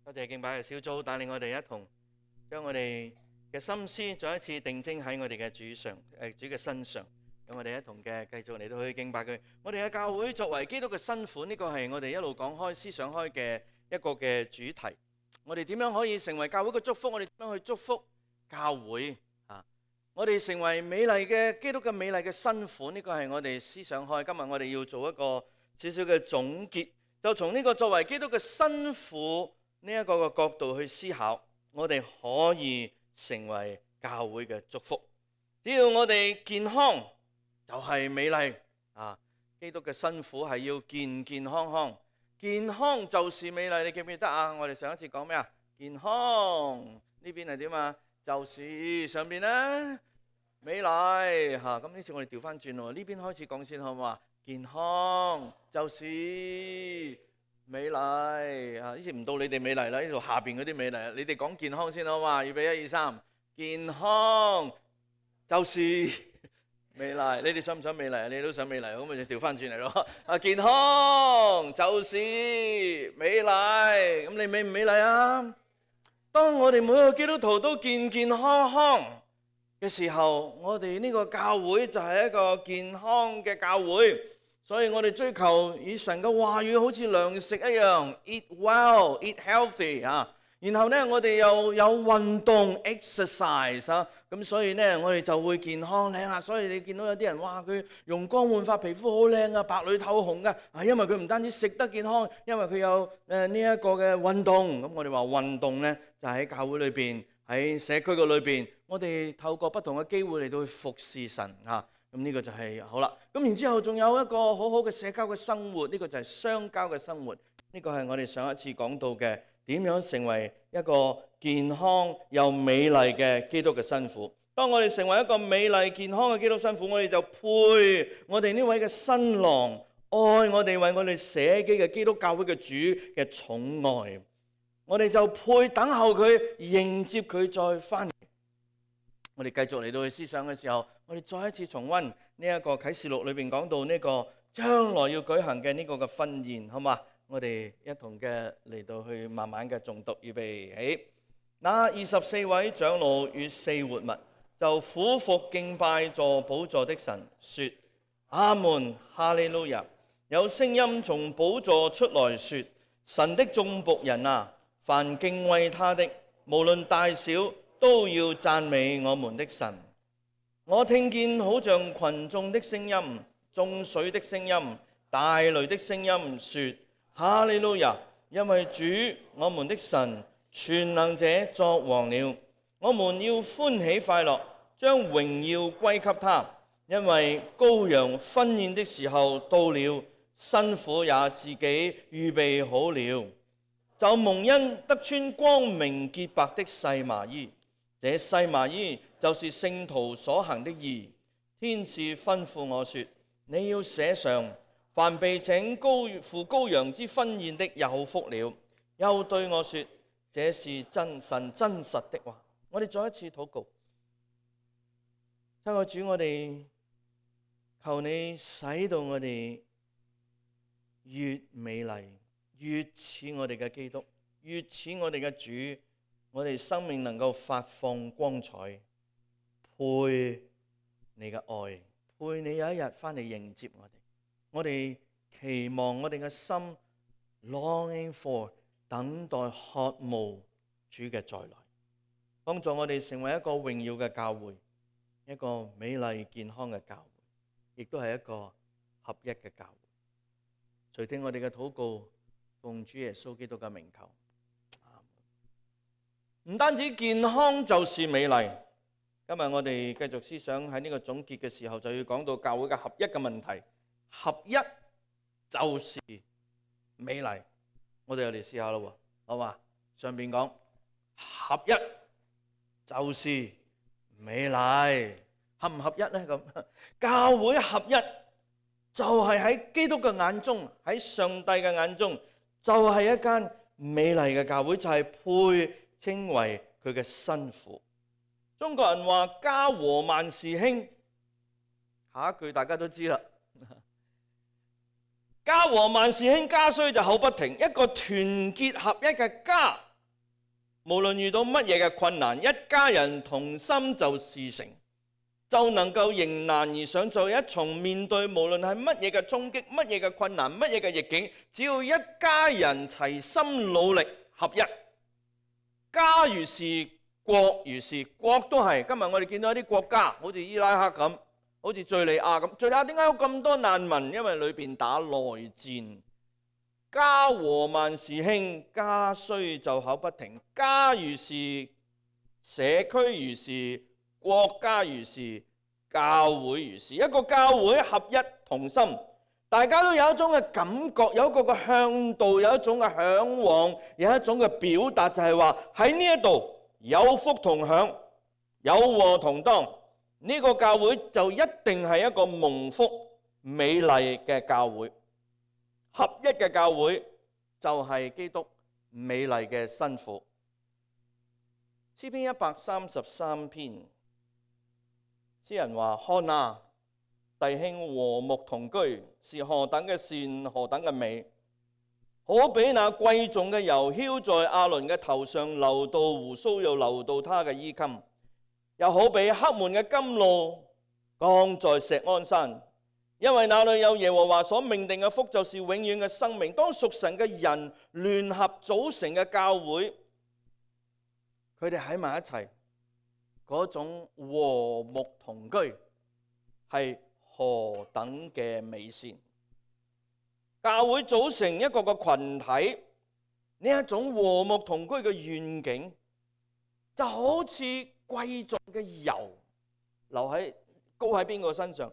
多謝敬拜嘅小組帶領我哋一同將我哋嘅心思再一次定睛喺我哋嘅主嘅身上，咁我哋一同嘅繼續嚟到去敬拜佢。我哋嘅教會作為基督嘅新婦，呢個係我哋一路講開思想開嘅一個嘅主題。我哋點樣可以成為教會嘅祝福？我哋點樣去祝福教會啊？我哋成為美麗嘅基督嘅美麗嘅新婦，呢個係我哋思想開。今日我哋要做一個少少嘅總結，就從呢個作為基督嘅新婦呢一個嘅角度去思考，我哋可以成為教會嘅祝福。只要我哋健康，就係美麗啊！基督嘅新婦係要健健康康，健康就是美麗。你記唔記得啊？我哋上一次講咩啊？健康呢邊係點啊？就是上邊咧美麗嚇。咁呢次我哋調翻轉喎，呢邊開始講先好唔好啊？健康就是美麗啊！呢次唔到你哋美麗啦，呢度下邊嗰啲美麗，你哋講健康先好嘛？預備1、2、3，健康就是美麗。你哋想唔想美麗啊？你都想美麗，咁咪就調翻轉嚟咯。啊，健康就是美麗。咁你美唔美麗啊？當我哋每個基督徒都健健康康嘅時候，我哋呢個教會就係一個健康嘅教會。所以我哋追求以神嘅話語好似糧食一樣 ，eat well, eat healthy 啊。然後呢，我哋又有運動 exercise 啊。咁所以呢，我哋就會健康靚啊。所以你見到有啲人哇，佢容光煥發，皮膚好靚啊，白裏透紅噶。係因為佢唔單止食得健康，因為佢有呢一個嘅運動。咁我哋話運動呢，就喺教會裏邊，喺社區嘅裏邊，我哋透過不同嘅機會嚟到去服侍神啊。咁呢個就係好啦。咁然之後仲有一個好好嘅社交嘅生活，呢個就係相交嘅生活。呢個係我哋上一次講到嘅，點樣成為一個健康又美麗嘅基督嘅新婦。當我哋成為一個美麗健康嘅基督新婦，我哋就配我哋呢位嘅新郎愛我哋，為我哋捨己嘅基督教會嘅主嘅寵愛。我哋就配等候佢，迎接佢再翻嚟。我哋繼續嚟到去思想嘅時候，我哋再一次重溫呢一個啟示錄裏邊講到呢個將來要舉行嘅呢個嘅婚宴，好嘛？我哋一同嘅嚟到去慢慢嘅誦讀，預備起。那24位長老與4活物就俯伏敬拜坐寶座的神，說：阿門，哈利路亞！有聲音從寶座出來說：神的眾僕人啊，凡敬畏他的，無論大小，都要讚美我們的神。我聽見好像群眾的聲音、眾水的聲音、大雷的聲音，說：哈利路亞！因為主我們的神全能者作王了，我們要歡喜快樂，將榮耀歸給他。因為羔羊婚宴的時候到了，新婦也自己預備好了，就蒙恩得穿光明潔白的細麻衣。這細麻衣就是聖徒所行的義。天使吩咐我說：你要寫上，凡被請赴羔羊之婚宴的有福了。又對我說：這是神真實的話。我哋再一次禱告，親愛主，我哋求你使到我哋越美麗，越似我哋嘅基督，越似我哋嘅主。我哋生命能夠發放光彩，配你嘅愛，配你有一日翻嚟迎接我哋。我哋期望我哋嘅心 longing for 等待渴慕主嘅再來，幫助我哋成為一個榮耀嘅教會，一個美麗健康嘅教會，亦都係一個合一嘅教會。垂聽我哋嘅禱告，奉主耶穌基督嘅名求。唔單止健康就是美麗。今日我哋繼續思想喺呢個總結嘅時候，就要講到教會嘅合一嘅問題。合一就是美麗。我哋又嚟試下咯，好嘛？上邊講合一就是美麗，合唔合一呢？咁教會合一就係喺基督嘅眼中，喺上帝嘅眼中，就係一間美麗嘅教會，就係配稱為佢嘅新婦。中國人話家和萬事興，下一句大家都知啦。家和萬事興，家衰就口不停。一個團結合一嘅家無論遇到乜嘢嘅困難，一家人同心就事成，就能夠迎難而上，就一重面對無論係乜嘢嘅衝擊、乜嘢嘅困難、乜嘢嘅逆境，只要一家人齊心努力合一，家如是，國如是，國都係。今日我哋見到一啲國家，好似伊拉克咁，好似敘利亞咁。敘利亞點解有咁多難民？因為裏邊打內戰。家和萬事興，家衰就口不停。家如是，社區如是，國家如是，教會如是。一個教會合一同心，大家都有一種嘅感覺，有一個嘅向導，有一種嘅向往，有一種嘅表達，就係話喺呢一度有福同享，有禍同當。呢個教會就一定係一個蒙福美麗嘅教會。合一嘅教會就係基督美麗嘅新婦。詩篇133篇，詩人話：看啊，弟兄和睦同居，是何等嘅善，何等嘅美！可比那貴重嘅油澆在亞倫嘅頭上，流到鬍鬚，又流到他嘅衣襟；又好比黑門嘅甘露降在錫安山。因為那裏有耶和華所命定嘅福，就是永遠嘅生命。當屬神嘅人聯合組成嘅教會，佢哋喺埋一齊，嗰種和睦同居係何等嘅美善！教會組成一個個群體，呢一種和睦同居嘅願景，就好似貴重嘅油高喺邊個身上？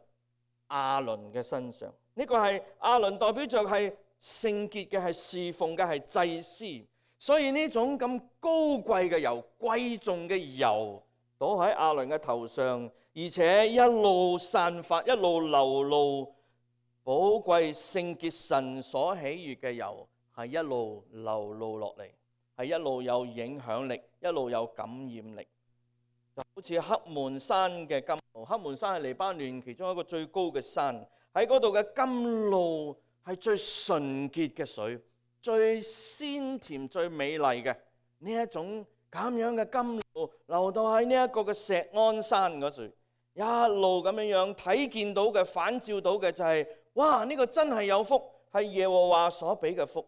亞倫嘅身上。呢個係亞倫代表着係聖潔嘅，係侍奉嘅，係祭司。所以呢種咁高貴嘅油、貴重嘅油倒喺亞倫嘅頭上，而且一路散發，一路流露寶貴聖潔神所喜悅嘅油，係一路流露落嚟，係一路有影響力，一路有感染力。就好似黑門山嘅甘露，黑門山係黎巴嫩其中一個最高嘅山，喺嗰度嘅甘露係最純潔嘅水，最鮮甜、最美麗嘅。呢一種咁樣嘅甘露流到喺呢一個嘅錫安山嗰處，一路咁樣睇見到嘅、反照到嘅就係，哇！呢個真係有福，係耶和華所俾嘅福。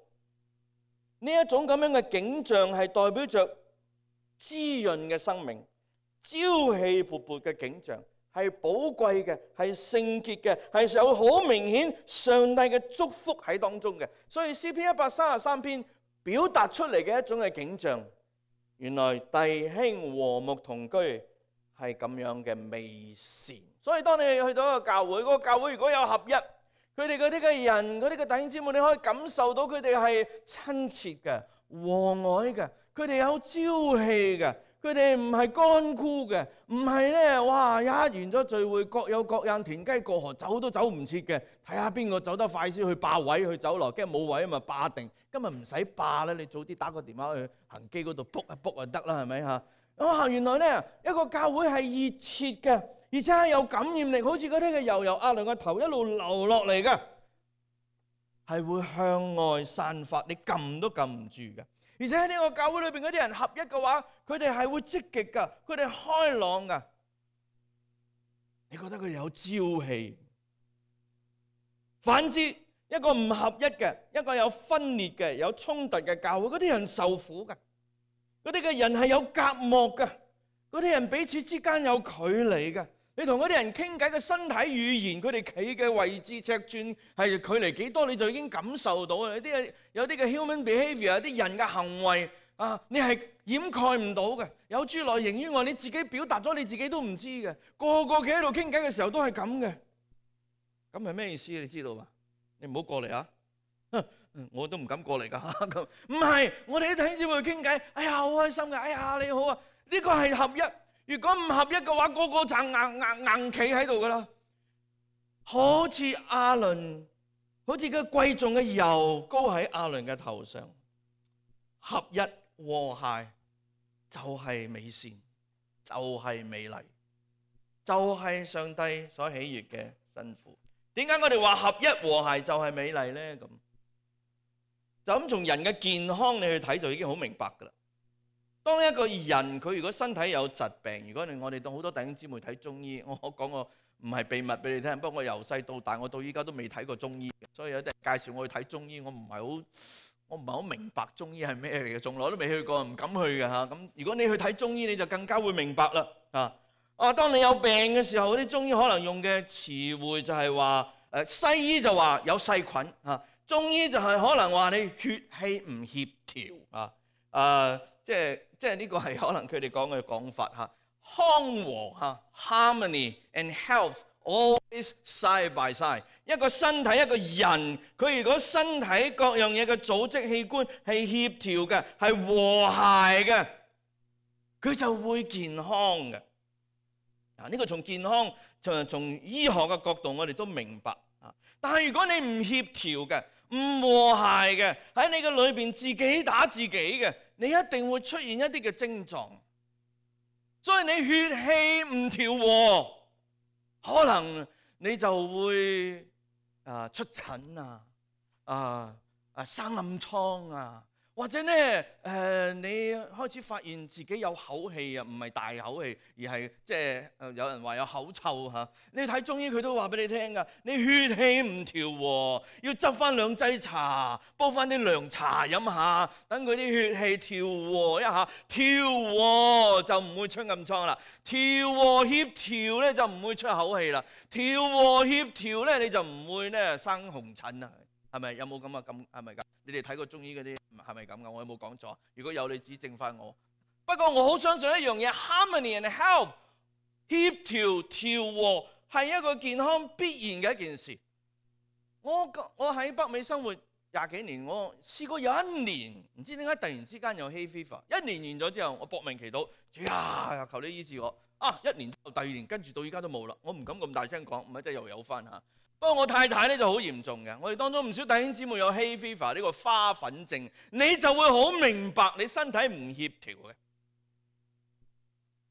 呢一種咁樣嘅景象係代表着滋潤嘅生命。朝氣勃勃嘅景象，係寶貴嘅，係聖潔嘅，係有好明顯上帝嘅祝福喺當中嘅。所以詩篇133篇表達出嚟嘅一種嘅景象，原來弟兄和睦同居係咁樣嘅美善。所以當你去到一個教會，嗰個教會如果有合一，佢哋嗰啲嘅人，嗰啲嘅弟兄姊妹，你可以感受到佢哋係親切嘅、和藹嘅，佢哋有朝氣嘅。佢哋唔係乾枯嘅，唔係咧，哇！一完咗聚會，各有各樣，田雞過河，走都走唔切嘅。睇下邊個走得快先去霸位去走落，驚冇位啊嘛，霸定。今日唔使霸啦，你早啲打個電話去恒基嗰度 book 一 book 就得啦，係咪嚇？哇！原來咧一個教會係熱切嘅，而且係有感染力，好似嗰啲嘅油由亞倫個頭一路流落嚟嘅，係會向外散發，你撳都撳唔住嘅。而且喺呢個教會裏邊嗰啲人合一嘅話，佢哋係會積極噶，佢哋開朗噶。你覺得佢哋有朝氣？反之，一個唔合一嘅，一個有分裂嘅、有衝突嘅教會，嗰啲人受苦噶。嗰啲嘅人係有隔膜噶，嗰啲人彼此之間有距離噶。你同嗰啲人傾偈嘅身體語言，佢哋企嘅位置尺寸係距離幾多，你就已經感受到啦。有啲嘅 human behavior， 有啲人嘅行為啊，你係掩蓋唔到嘅。有諸內形於外，你自己表達咗，你自己都唔知嘅。個個企喺度傾偈嘅時候都係咁嘅。咁係咩意思？你知道嘛？你唔好過嚟啊！我都唔敢過嚟噶。咁唔係，我哋啲弟兄姊妹傾偈，哎呀好開心嘅，哎呀你好啊，呢個係合一。如果唔合一嘅話，個個就硬企喺度噶啦。好似亞倫，好似個貴重嘅油膏喺亞倫嘅頭上，合一和諧就係美善，就係美麗，就係上帝所喜悅嘅新婦。點解我哋話合一和諧就係美麗呢？咁就咁從人嘅健康你去睇就已經好明白噶啦。當一個人佢如果身體有疾病，如果我哋當好多弟兄姊妹睇中醫，我講個唔係秘密俾你聽，不過我由細到大我到依家都未睇過中醫，所以有啲人介紹我去睇中醫，我唔係好明白中醫係咩嚟嘅，從來都未去過，唔敢去嘅嚇。咁如果你去睇中醫，你就更加會明白啦。當你有病嘅時候，啲中醫可能用嘅詞彙就係話，西醫就話有細菌嚇，中醫就係可能話你血氣唔協調啊。即係呢個係可能佢哋講嘅講法嚇。康和嚇 ，harmony and health always side by side。一個身體一個人，佢如果身體各樣嘢嘅組織器官係協調嘅，係和諧嘅，佢就會健康嘅。呢個從健康從醫學嘅角度，我哋都明白啊。但係如果你唔協調嘅、唔和諧嘅，喺你嘅裏邊自己打自己嘅，你一定會出現一啲嘅症狀。所以你血氣唔調和，可能你就會出疹生暗瘡啊。或者咧，你開始發現自己有口氣啊，唔係大口氣，而係即係有人話有口臭嚇。你睇中醫佢都話俾你聽㗎，你血氣唔調和，要執翻2劑茶，煲翻啲涼茶飲下，等佢啲血氣調和一下，調和就唔會出暗瘡啦，調和協調咧就唔會出口氣啦，調和協調咧你就唔會咧生紅疹啊。係咪有冇咁啊？咁係咪咁？你哋睇過中醫嗰啲係咪咁噶？我有冇講錯？如果有，你指正翻我。不過我好相信一樣嘢 ，harmony and health 協調調和係一個健康必然嘅一件事。我喺北美生活20幾年，我試過有1年唔知點解突然之間有 hay fever。1年完咗之後，我搏命祈禱，主啊，求你醫治我。1年之後第2年跟住到依家都冇啦。我唔敢咁大聲講，唔係真係又有翻嚇。不過我太太咧就好嚴重嘅，我哋當中唔少弟兄姊妹有 hay fever 呢個花粉症，你就會好明白你身體唔協調嘅。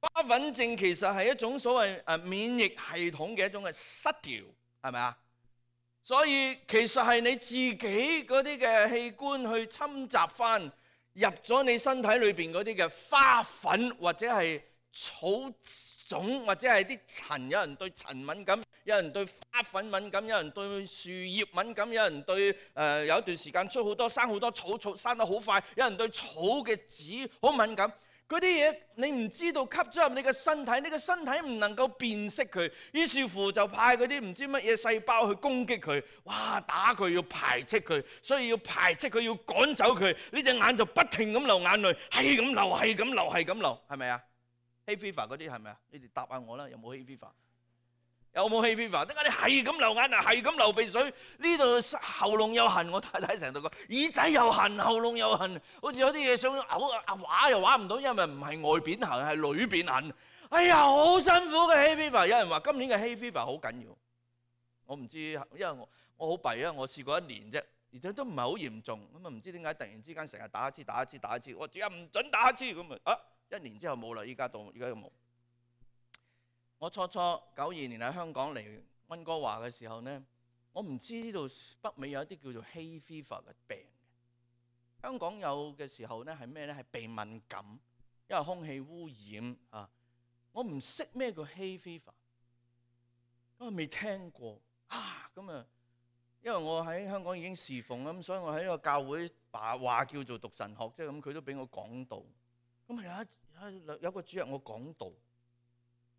花粉症其實係一種所謂免疫系統嘅一種嘅失調，係咪啊？所以其實係你自己嗰啲嘅器官去侵襲翻入咗你身體裏邊嗰啲嘅花粉或者係草種或者係啲塵，有人對塵敏感，有人對花粉敏感，有人對樹葉敏感，有人對有一段時間生好多草生得好快，有人對草嘅籽好敏感。嗰啲嘢你唔知道吸咗入你嘅身體，你嘅身體唔能夠辨識佢，於是乎就派嗰啲唔知乜嘢細胞去攻擊佢，哇！打佢要排斥佢，所以要排斥佢，要趕走佢。呢隻眼就不停咁流眼淚，係咁流，係咁流，係咁流，係咪啊？hay fever 嗰啲係咪啊？你哋答下我啦，有冇 hay fever？ 有冇 hay fever？ 點解你係咁流眼淚，係咁流鼻水？呢度喉嚨又痕，我太太成日都講耳仔又痕，喉嚨又痕，好似有啲嘢想嘔，話又話唔到，因為唔係外邊痕，係裏邊痕。哎呀，好辛苦嘅 hay fever。有人話今年嘅 hay fever 好緊要，我唔知，因為我好弊啊，我試過1年啫，而且都唔係好嚴重，咁啊唔知點解突然之間成日打一次，我主任唔準打一次咁啊！1年之後冇啦，依家都冇。我初92年喺香港嚟溫哥華嘅時候呢，我唔知呢度北美有一啲叫做 hay fever 嘅病。香港有嘅時候呢係咩呢？係鼻敏感，因為空氣污染啊。我唔識咩叫 hay fever，我未聽過啊。咁啊，因為我喺香港已經侍奉咁，所以我喺呢個教會話叫做讀神學，即係咁，佢都俾我講道。咁啊有個主日我講道。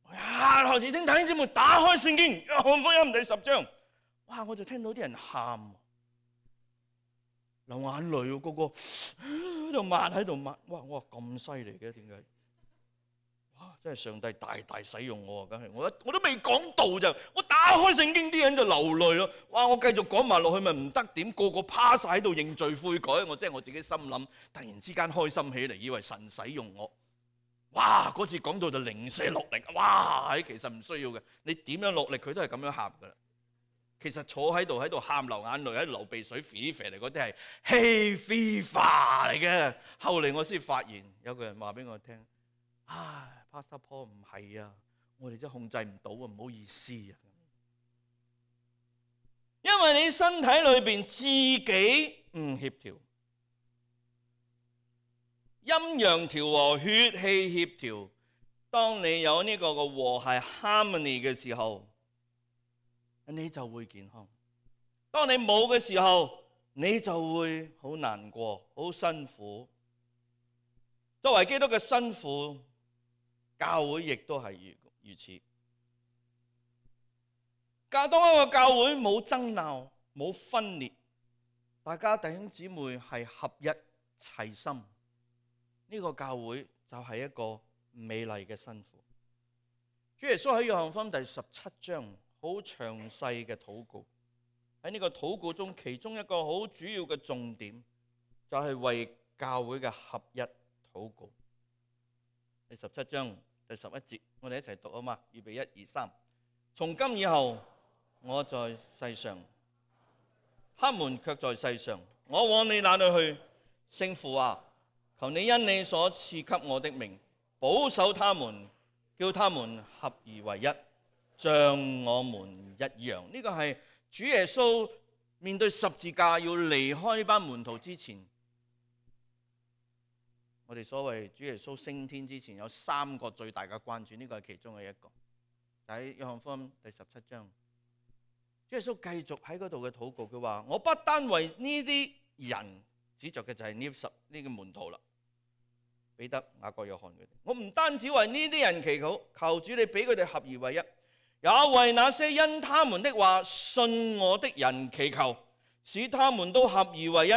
開始聽弟兄姊妹打開聖經，約翰福音第10章，哇！我就聽到啲人喊，流眼淚，個個喺度抹喺度抹，哇！我話咁犀利嘅，點解？哇！真係上帝大大使用我啊，梗係我都未講道就，我打開聖經啲人就流淚咯。哇！我繼續講埋落去咪唔得點？個個趴晒喺度認罪悔改，我真係我自己心諗，突然之間開心起嚟，以為神使用我。哇！嗰次講到就零舍落力，哇！其實唔需要嘅，你點樣落力佢都係咁樣喊噶啦。其實坐喺度喊流眼淚，喺度流鼻水，肥肥嚟嗰啲係 hay fever 嚟嘅。後嚟我先發現有個人話俾我聽，唉 Pastor Paul 唔係啊，我哋真係控制唔到啊，唔好意思啊。因為你身體裏邊自己唔協調。陰陽調和，血氣協調。當你有呢個嘅和諧 harmony 嘅時候，你就會健康。當你冇嘅時候，你就會好難過、好辛苦。作為基督嘅新婦，教會亦都係如此。當一個教會冇爭鬧、冇分裂，大家弟兄姊妹係合一齊心，呢個教會就係一個美麗嘅新婦。主耶穌喺約翰福音第17章好詳細嘅禱告。喺呢個禱告中，其中一個好主要嘅重點就係為教會嘅合一禱告。第17章第11節，我哋一齊讀啊嘛，預備1、2、3。從今以後，我在世上，他們卻在世上。我往你那裏去，聖父啊，求你因你所賜給我的名，保守他們，叫他們合而為一，像我們一樣。呢個係主耶穌面對十字架要離開呢班門徒之前，我哋所謂主耶穌升天之前有3個最大嘅關注，呢個係其中嘅一個。喺約翰福音第17章，主耶穌繼續喺嗰度嘅禱告，佢話：我不單為呢啲人，指着嘅就係呢個門徒啦，彼得、雅各、約翰佢哋。我唔單止為呢啲人祈禱，求主你俾佢哋合而為一。也為那些因他們的話信我的人祈求，使他們都合而為一，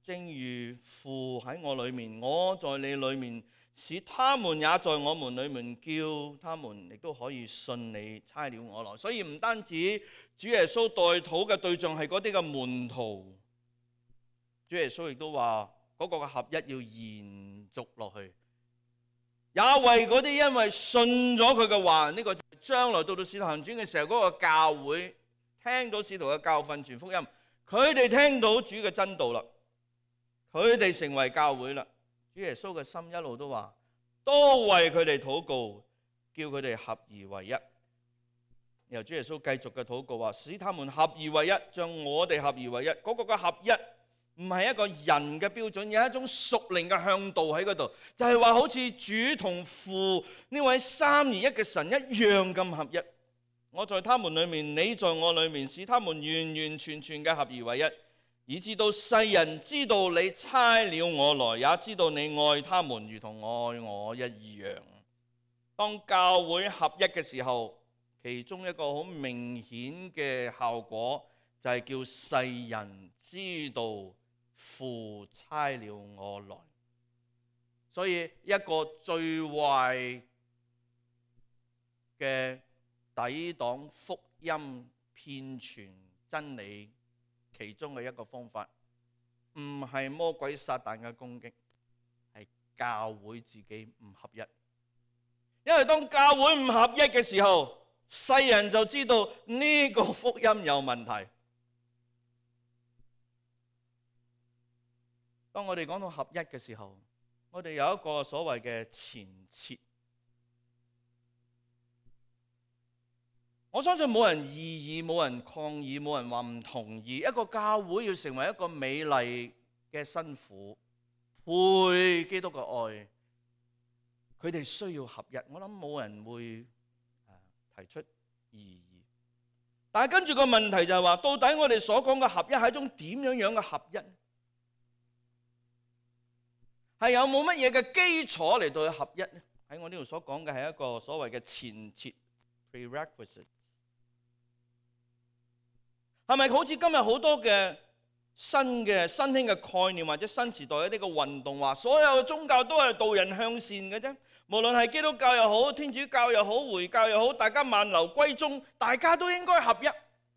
正如父喺我裏面，我在你裏面，使他們也在我們裏面，叫他們亦都可以信你差了我來。所以唔單止主耶穌代禱嘅對象係嗰啲嘅門徒，主耶穌亦都話嗰個嘅合一要延續落去。也為嗰啲因為信咗佢嘅話，呢個將來到使徒行傳嘅時候，嗰個教會聽到使徒嘅教訓傳福音，佢哋聽到主嘅真道啦，佢哋成為教會啦。主耶穌嘅心一路都話，多為佢哋禱告，叫佢哋合而為一。然後主耶穌繼續嘅禱告話，使他們合而為一，像我哋合而為一。嗰個嘅合一唔係一個人嘅標準，有一種屬靈嘅向導喺嗰度，就係話好似主同父呢位三而一嘅神一樣咁合一。我在他們裏面，你在我裏面，使他們完完全全嘅合而為一，以致到世人知道你差了我來，也知道你愛他們如同愛我一樣。當教會合一嘅時候，其中一個好明顯嘅效果就係叫世人知道父差了我來。所以一個最壞嘅抵擋福音騙傳真理其中嘅一個方法，唔係魔鬼撒旦嘅攻擊，係教會自己唔合一。因為當教會唔合一嘅時候，世人就知道呢個福音有問題。當我哋講到合一嘅時候，我哋有一個所謂嘅前設。我相信冇人異議，冇人抗議，冇人話唔同意。一個教會要成為一個美麗嘅新婦，配基督嘅愛，佢哋需要合一。我諗冇人會提出異議。但係跟住個問題就係話，到底我哋所講嘅合一係一種點樣嘅合一？係有冇乜嘢嘅基礎嚟到去合一呢？喺我呢度所講嘅係一個所謂嘅前設 prerequisite。係咪好似今日好多嘅新興嘅概念，或者新時代一啲嘅運動話，所有嘅宗教都係導人向善嘅啫？無論係基督教又好，天主教又好，回教又好，大家萬流歸宗，大家都應該合一。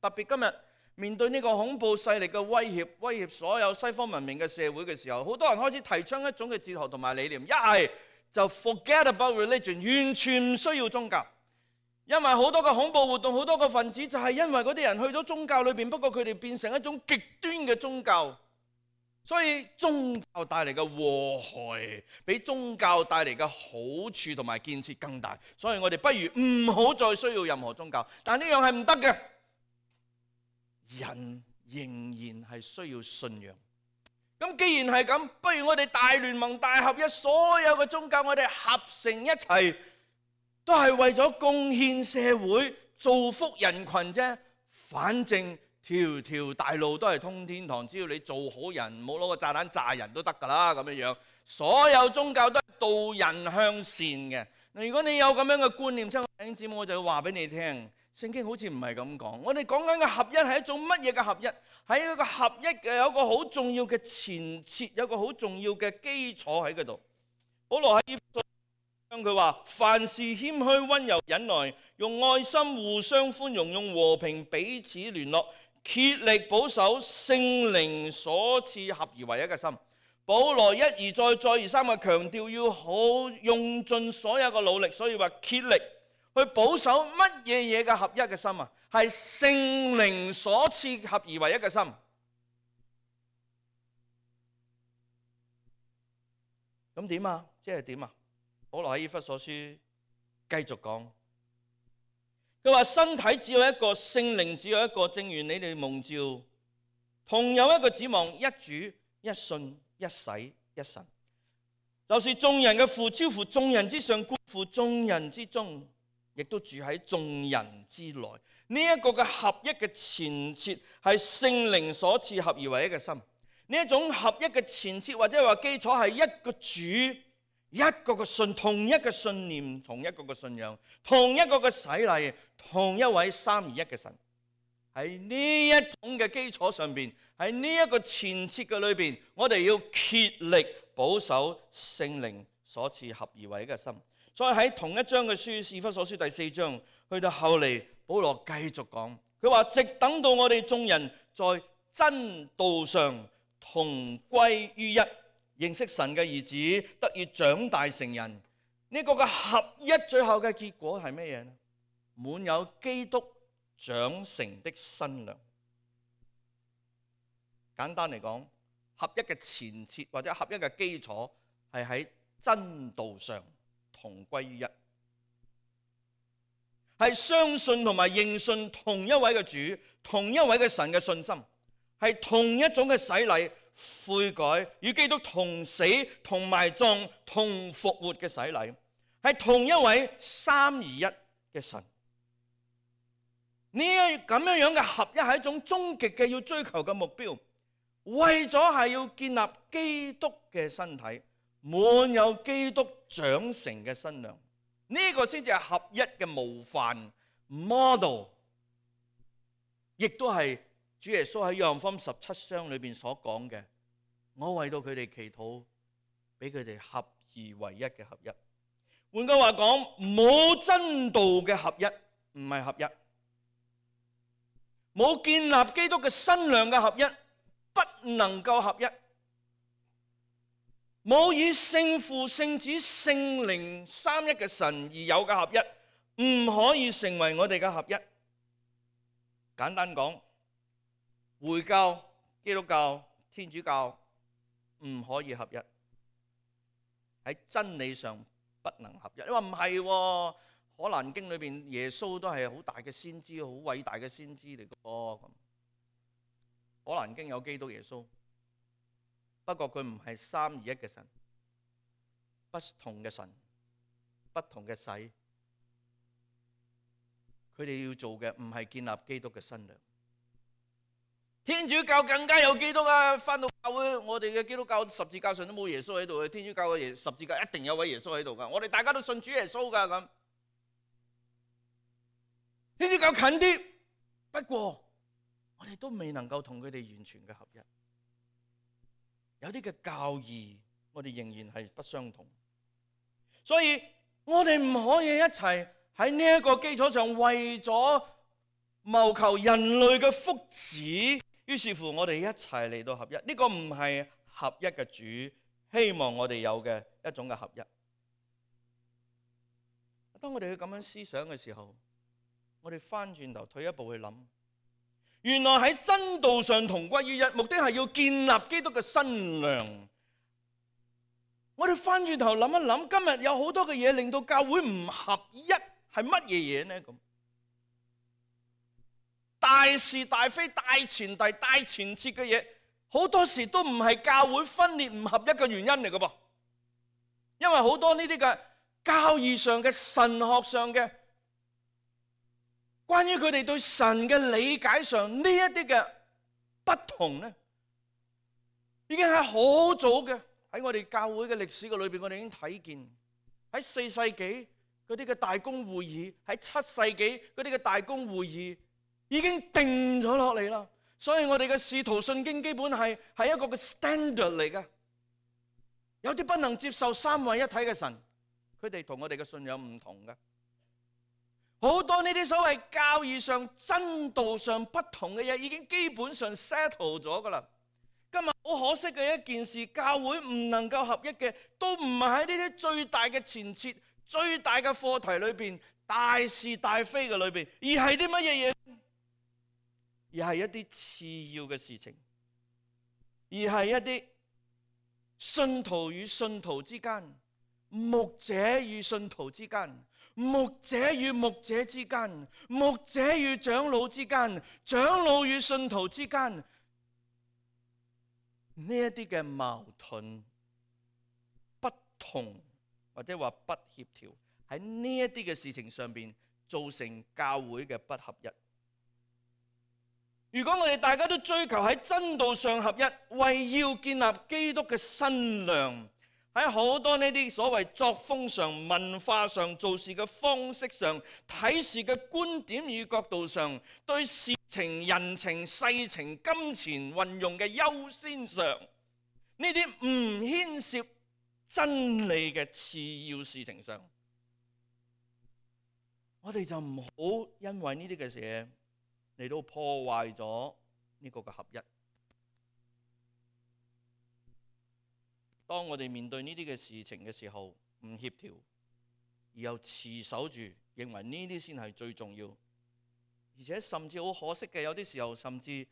特別今日面對呢個恐怖勢力嘅威脅所有西方文明嘅社會嘅時候，好多人開始提倡一種嘅哲學同埋理念，一係就 forget about religion， 完全唔需要宗教。因為好多個恐怖活動，好多個分子就係因為嗰啲人去咗宗教裏邊，不過佢哋變成一種極端嘅宗教，所以宗教帶嚟嘅禍害比宗教帶嚟嘅好處同埋建設更大，所以我哋不如唔好再需要任何宗教。但呢樣係唔得嘅，人仍然係需要信仰。咁既然係咁，不如我哋大聯盟大合一，所有嘅宗教我哋合成一齊，都係為咗貢獻社會、造福人群啫。反正條條大路都係通天堂，只要你做好人，唔好攞個炸彈炸人都得㗎啦。咁樣樣，所有宗教都係導人向善嘅。如果你有咁樣嘅觀念，親愛弟兄姊妹，我就要話俾你聽，聖經好似唔係咁講。我哋講緊嘅合一係一種乜嘢嘅合一？喺一個合一嘅有一個好重要嘅前設，有一個好重要嘅基礎喺嗰度。保羅喺以弗所書佢話：凡事謙虛、溫柔、忍耐，用愛心互相寬容，用和平彼此聯絡，竭力保守聖靈所賜合而為一嘅心。保羅一而再、再而三嘅強調，要好用盡所有嘅努力，所以話竭力去保守乜嘢嘅合一嘅心啊？係聖靈所賜合而為一嘅心。咁點啊？即係點啊？保羅喺以弗所書繼續講，佢話身體只有一個，聖靈只有一個，正如你哋蒙召，同有一個指望，一主、一信、一洗、一神，就是眾人嘅父，超乎眾人之上，觀乎眾人之中，亦都住喺眾人之內。呢一個嘅合一嘅前設係聖靈所賜合而為一嘅心。呢一種合一嘅前設或者話基礎係一個主、一個嘅信、同一個信念、同一個嘅信仰、同一個嘅洗禮、同一位三而一嘅神。喺呢一種嘅基礎上邊，喺呢一個前設嘅裏邊，我哋要竭力保守聖靈所賜合而為一嘅心。所以喺同一章嘅書，以弗所書第4章，去到後嚟，保羅繼續講，佢話直等到我哋眾人在真道上同歸於一，認識神嘅兒子，得以長大成人。呢個嘅合一最後嘅結果係咩嘢呢？滿有基督長成的身量。簡單嚟講，合一嘅前設或者合一嘅基礎係喺真道上同歸於一，係相信同埋認信同一位嘅主、同一位嘅神嘅信心，係同一種嘅洗禮、悔改，與基督同死、同埋葬、同復活嘅洗禮，係同一位三而一嘅神。呢咁樣嘅合一係一種終極嘅要追求嘅目標，為咗係要建立基督嘅身體，滿有基督長成嘅身量。呢個先至係合一嘅模範 model， 亦都係主耶穌喺約翰福音17章裏邊所講嘅，我為到佢哋祈禱，俾佢哋合而為一嘅合一。換句話講，冇真道嘅合一唔係合一，冇建立基督嘅身量嘅合一不能夠合一，冇以聖父、聖子、聖靈三一嘅神而有嘅合一，唔可以成為我哋嘅合一。簡單講，回教、基督教、天主教唔可以合一，喺真理上不能合一。你話唔係喎？可蘭經裏邊耶穌都係好大嘅先知，好偉大嘅先知嚟嘅噃。可蘭經有基督耶穌，不過佢唔係三而一嘅神，不同嘅神，不同嘅洗。佢哋要做嘅唔係建立基督嘅身量。天主教更加有基督啊！返到教會，我哋嘅基督教十字架上都冇耶穌喺度嘅，天主教嘅十字架一定有位耶穌喺度噶。我哋大家都信主耶穌噶咁。天主教近啲，不過我哋都未能夠同佢哋完全嘅合一。有啲嘅教義，我哋仍然係不相同。所以我哋唔可以一齊喺呢一個基礎上為咗謀求人類嘅福祉，於是乎我哋一齊嚟到合一。呢個唔係合一嘅主希望我哋有嘅一種嘅合一。當我哋去咁樣思想嘅時候，我哋翻轉頭退一步去諗，原來喺真道上同歸於一，目的係要建立基督嘅身量。我哋翻轉頭諗一諗，今日有好多嘅嘢令到教會唔合一，係乜嘢嘢呢？咁大是大非、大前提、大前設嘅嘢，好多時都唔係教會分裂唔合一嘅原因嚟嘅噃。因為好多呢啲嘅教義上嘅神學上嘅，關於佢哋對神嘅理解上呢一啲嘅不同咧，已經係好早嘅喺我哋教會嘅歷史嘅裏邊，我哋已經睇見喺4世紀嗰啲嘅大公會議，喺7世紀嗰啲嘅大公會議已經定咗落嚟啦。所以我哋嘅使徒信經基本係一個嘅 standard 嚟嘅。有啲不能接受三位一體嘅神，佢哋同我哋嘅信仰唔同嘅。好多呢啲所謂教義上、真道上不同嘅嘢，已經基本上 settle 咗噶啦。今日好可惜嘅一件事，教會唔能夠合一嘅，都唔係喺呢啲最大嘅前設、最大嘅課題裏邊、大是大非嘅裏邊，而係啲乜嘢嘢？而係一啲次要嘅事情，而係一啲信徒與信徒之間、牧者與信徒之間、牧者與牧者之間、牧者與長老之間、長老與信徒之間，呢一啲嘅矛盾、不同或者話不協調，喺呢一啲嘅事情上邊造成教會嘅不合一。如果我哋大家都追求喺真道上合一，為要建立基督嘅身量，喺好多呢啲所謂作風上、文化上、做事嘅方式上、睇事嘅觀點與角度上、對事情、人情、世情、金錢運用嘅優先上，呢啲唔牽涉真理嘅次要事情上，我哋就唔好因為呢啲嘅事嚟到破壞咗呢個嘅合一。當我哋面對呢啲嘅事情嘅時候，唔協調，而又持守住，認為呢啲先係最重要，而且甚至好可惜嘅，有啲時候甚至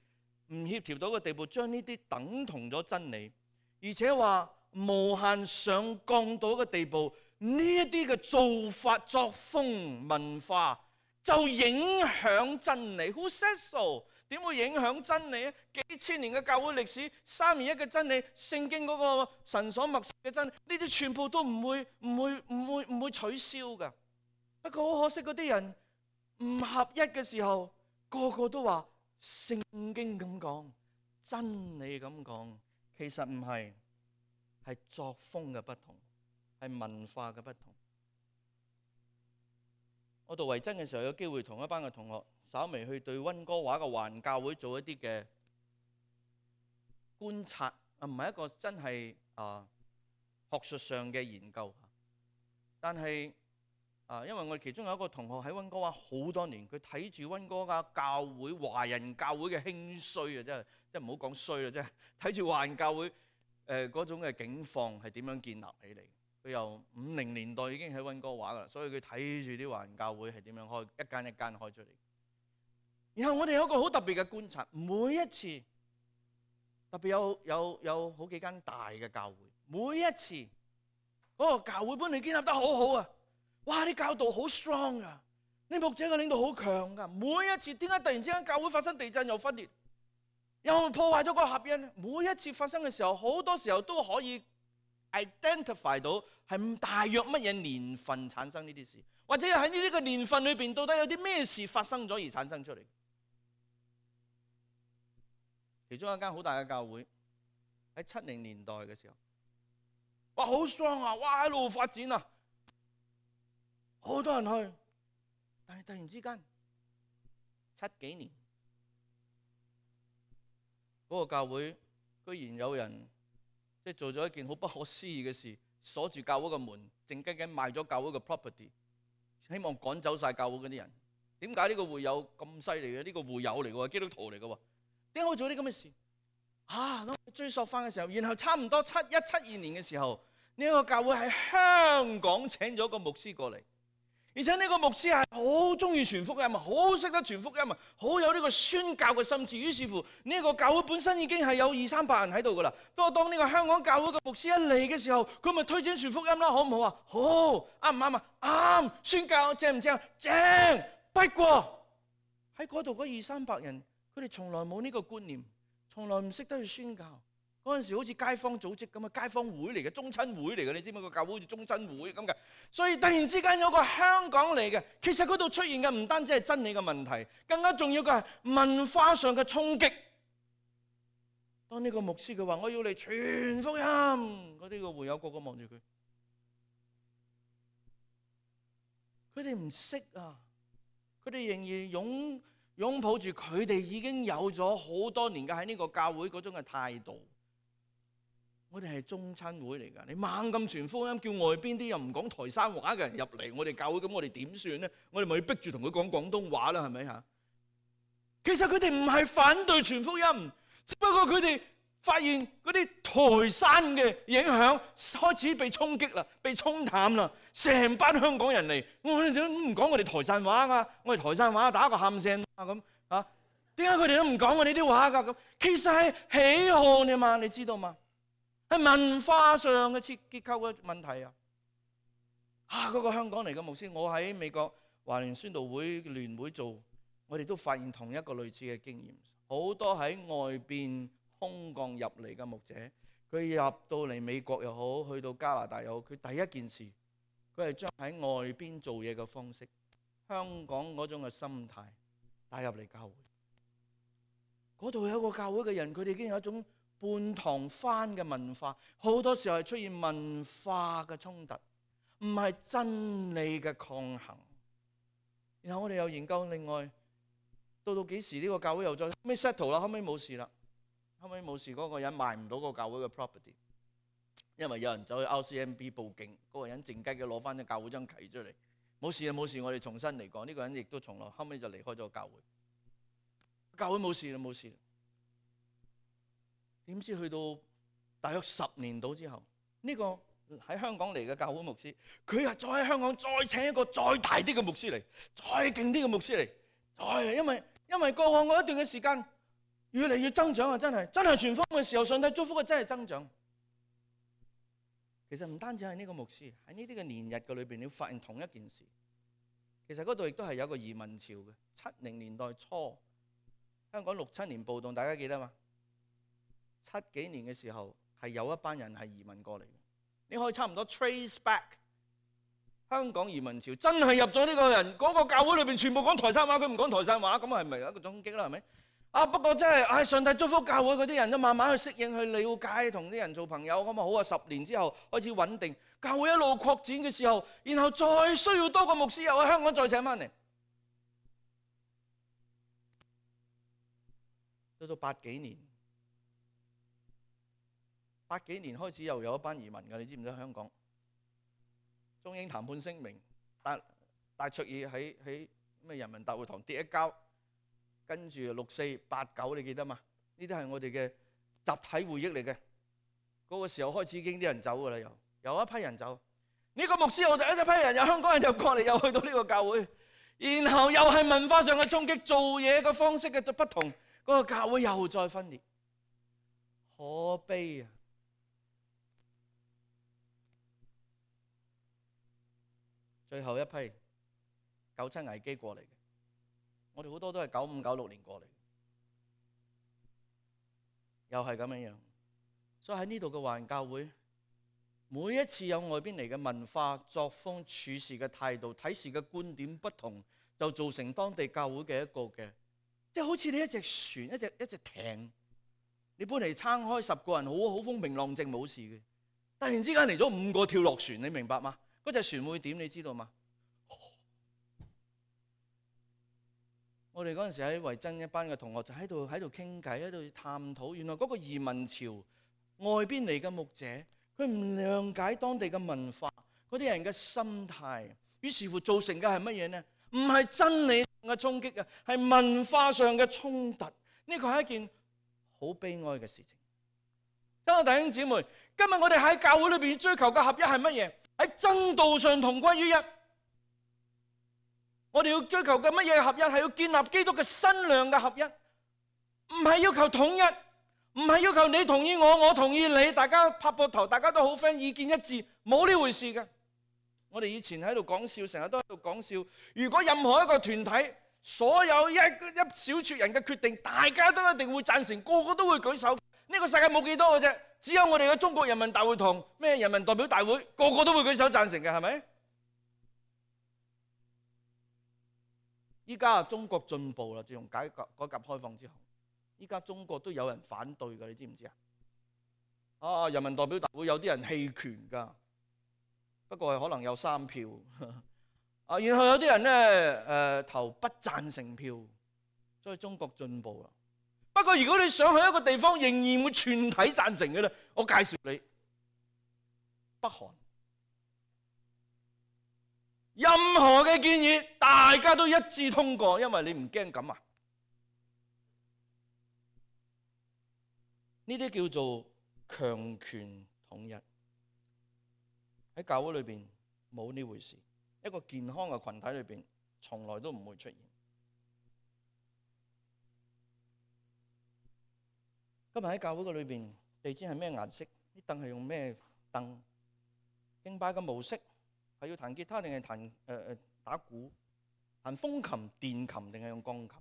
唔協調到嘅地步，將呢啲等同咗真理，而且話無限上降到嘅地步，呢一啲嘅做法、作風、文化，就影響真理。Who says so？ 點會影響真理啊？幾千年嘅教會歷史，三而一嘅真理，聖經嗰個神所默示嘅真理，呢啲全部都唔會取消噶。不過好可惜，嗰啲人唔合一嘅時候，個個都話聖經咁講，真理咁講，其實唔係，係作風嘅不同，係文化嘅不同。我讀維真嘅時候，有機會同一班嘅同學稍微去對溫哥華嘅環教會做一啲嘅觀察，唔係一個真係學術上嘅研究，但係因為我哋其中有一個同學喺溫哥華好多年，佢睇住溫哥華教會、華人教會嘅興衰啊，真係唔好講衰啦，真係睇住華人教會嗰種嘅境況係點樣建立起嚟。佢由50年代已經喺溫哥華噶啦，所以佢睇住啲華人教會係點樣開，一間一間開出嚟。然後我哋有一個好特別嘅觀察，每一次特別有好幾間大嘅教會，每一次嗰個教會本嚟建立得好好啊，哇！啲教導好 strong 啊，啲牧者嘅領導好強噶。每一次點解突然之間教會發生地震又分裂，又破壞咗個合一呢？每一次發生嘅時候，好多時候都可以 identify 到係大約乜嘢年份產生呢啲事，或者喺呢個年份裏邊到底有啲咩事發生咗而產生出嚟。其中一間好大嘅教會喺70年代嘅時候，哇，好 strong 啊，哇，一路發展啊，好多人去，但係突然之間70幾年嗰個教會居然有人即係做咗一件好不可思議嘅事，鎖住教會嘅門，靜雞雞賣咗教會嘅 property， 希望趕走晒教會嗰啲人。點解呢個會友咁犀利嘅？呢個會友嚟嘅，基督徒嚟嘅，點解會做啲咁嘅事？追溯翻嘅時候，然後差唔多7172年嘅時候，呢個教會喺香港請咗個牧師過嚟，而且呢個牧師係好中意傳福音，好識得傳福音，好有呢個宣教嘅心志。於是乎，呢個教會本身已經係有200-300人喺度噶啦。不過當呢個香港教會嘅牧師一嚟嘅時候，佢咪推薦傳福音啦，好唔好啊？好，啱唔啱啊？啱。宣教正唔正？正。不過喺嗰度嗰200-300人，佢哋從來冇呢個觀念，從來唔識得去宣教。嗰陣時好似街坊組織咁啊，街坊會嚟嘅，宗親會嚟嘅，你知唔知個教會好似宗親會咁嘅？所以突然之間有個香港嚟嘅，其實嗰度出現嘅唔單止係真理嘅問題，更加重要嘅係文化上嘅衝擊。當呢個牧師佢話我要嚟傳福音，嗰啲個會友個個望住佢，佢哋唔識啊，佢哋仍然擁抱住佢哋已經有咗好多年嘅喺呢個教會嗰種嘅態度。我哋係宗親會嚟㗎，你猛咁傳福音，叫外邊啲又唔講台山話嘅人入嚟我哋教會，咁我哋點算呢？我哋咪要逼住同佢講廣東話啦，係咪嚇？其實佢哋唔係反對傳福音，只不過佢哋發現嗰啲台山嘅影響開始被衝擊啦，被沖淡啦。成班香港人嚟，我哋都唔講我哋台山話㗎，我哋台山話打個喊聲啊咁嚇。點解佢哋都唔講我哋啲話㗎？咁其實係喜好啫嘛，你知道嘛？係文化上嘅結構嘅問題啊！嗰個香港嚟嘅牧師，我喺美國華人宣道會聯會做，我哋都發現同一個類似嘅經驗。好多喺外邊空降入嚟嘅牧者，佢入到嚟美國又好，去到加拿大又好，佢第一件事，佢係將喺外邊做嘢嘅方式，香港嗰種嘅心態帶入嚟教會。嗰度有一個教會嘅人，佢哋已經有一種半堂翻嘅文化，好多時候係出現文化嘅衝突，唔係真理嘅抗衡。然後我哋又研究另外，到幾時呢個教會又再咩 settle 啦？後尾冇事啦，後尾冇事，嗰個人賣唔到個教會嘅 property， 因為有人走去 RCMP 報警，嗰個人靜雞嘅攞翻隻教會張契出嚟，冇事啊冇事，我哋重新嚟過。呢個人亦都從來後尾就離開咗教會，教會冇事啦冇事。點知去到大約10年到之後，呢個喺香港嚟嘅教會牧師，佢又再喺香港再請一個再大啲嘅牧師嚟，再勁啲嘅牧師嚟，因為過往嗰一段嘅時間越嚟越增長啊！真係傳福音嘅時候，上帝祝福嘅真係增長。其實唔單止係呢個牧師，喺呢啲嘅年日嘅裏邊，你會發現同一件事。其實嗰度亦都係有個移民潮嘅。70年代初，香港6、7年暴動，大家記得嘛？7幾年嘅時候係有一班人係移民過嚟嘅，你可以差唔多 trace back 香港移民潮真係入咗呢個人嗰個教會裏邊，全部講台山話，佢唔講台山話，咁係咪一個衝擊啦？係咪？不過真係上帝祝福教會嗰啲人都慢慢去適應、去了解，同啲人做朋友咁啊好啊。10年之後開始穩定，教會一路擴展嘅時候，然後再需要多個牧師又喺香港再請翻嚟，到80幾年。80幾年開始又有一班移民㗎，你知唔知？香港中英談判聲明，戴卓爾喺咩人民大會堂跌一跤，跟住6、4、8、9，你記得嘛？呢啲係我哋嘅集體回憶嚟嘅。嗰個時候開始已經啲人走㗎啦，有一批人走。呢個牧師又第一批人，有香港人又過嚟，又去到呢個教會，然後又係文化上嘅衝擊，做嘢嘅方式嘅不同，嗰個教會又再分裂，可悲啊！最後一批97危機過嚟嘅，我哋好多都係95、96年過嚟，又係咁樣樣。所以喺呢度嘅華人教會，每一次有外邊嚟嘅文化、作風、處事嘅態度、睇事嘅觀點不同，就造成當地教會嘅一個嘅，即係好似你一隻船、一隻艇，你本嚟撐開10個人，好風平浪靜冇事嘅，突然之間嚟咗5個跳落船，你明白嗎？嗰隻船會點？你知道嗎？我哋嗰陣時喺維珍一班嘅同學就喺度傾偈，喺度探討。原來嗰個移民潮外邊嚟嘅牧者，佢唔諒解當地嘅文化，嗰啲人嘅心態，於是乎造成嘅係乜嘢呢？唔係真理上嘅衝擊啊，係文化上嘅衝突。呢個係一件好悲哀嘅事情。親愛弟兄姊妹，今日我哋喺教會裏邊追求嘅合一係乜嘢？喺真道上同歸於一。我哋要追求嘅乜嘢合一？係要建立基督嘅身量嘅合一，唔係要求統一，唔係要求你同意我，我同意你，大家拍膊頭，大家都好 friend，意見一致，冇呢回事嘅。我哋以前喺度講笑，成日都喺度講笑。如果任何一個團體所有一小撮人嘅決定，大家都一定會贊成，個個都會舉手。呢個世界冇幾多嘅啫，只有我哋嘅中國人民大會堂咩人民代表大會，個個都會舉手贊成嘅，係咪？依家中國進步啦，自從改革開放之後，依家中國都有人反對㗎，你知唔知啊？人民代表大會有啲人棄權㗎，不過係可能有3票。然後有啲人咧投不贊成票，所以中國進步啦。不過如果你想去一個地方仍然會全體贊成嘅咧，我介紹你北韓。任何嘅建議大家都一致通過，因為你唔驚咁啊？呢啲叫做強權統一。喺教會裏邊冇呢回事，一個健康嘅群體裏邊從來都唔會出現。今日喺教會嘅裏邊，地氈係咩顏色？啲凳係用咩凳？敬拜嘅模式係要彈吉他定係彈打鼓？彈風琴、電琴定係用鋼琴？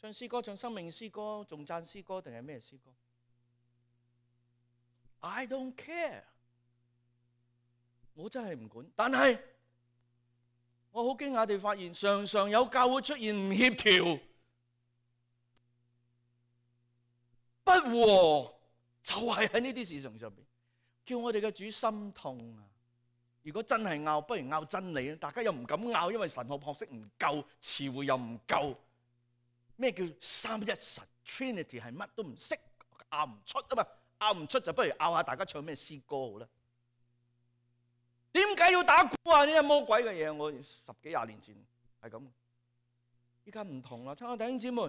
唱詩歌、唱生命詩歌、頌讚詩歌定係咩詩歌？ I don't care， 我真係唔管。但係我好驚訝地發現，常常有教會出現唔協調、不和，就係喺呢啲事情上邊，叫我哋嘅主心痛啊！如果真係拗，不如拗真理啊！大家又唔敢拗，因為神學學識唔夠，詞彙又唔夠。咩叫三一神 Trinity 係乜都唔識，拗唔出啊嘛！拗唔出就不如拗下大家唱咩詩歌好啦。點解要打鼓啊？呢啲魔鬼嘅嘢，我10幾20年前係咁。依家唔同啦，親愛弟兄姊妹